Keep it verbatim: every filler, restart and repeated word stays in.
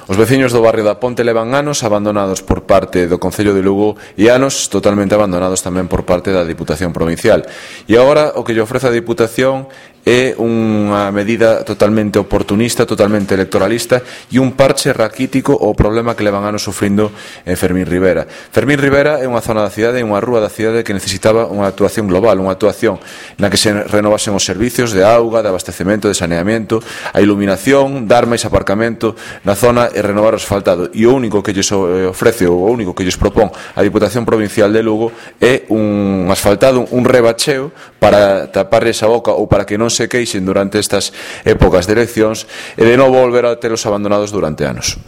Os veciños do barrio da Ponte levan anos abandonados por parte do Concello de Lugo e anos totalmente abandonados tamén por parte da Diputación Provincial. E agora o que lle ofrece a Diputación é unha medida totalmente oportunista, totalmente electoralista e un parche raquítico ao problema que levan anos sufrindo en Fermín Rivera. Fermín Rivera é unha zona da cidade, é unha rúa da cidade que necesitaba unha actuación global, unha actuación na que se renovasen os servicios de auga, de abastecemento, de saneamento, a iluminación, dar máis aparcamento na zona e renovar o asfaltado. E o único que lles ofrece, o único que lles propón a Diputación Provincial de Lugo é un asfaltado, un rebacheo para tapar esa boca ou para que non se queixen durante estas épocas de eleccións e de non volver a telos abandonados durante anos.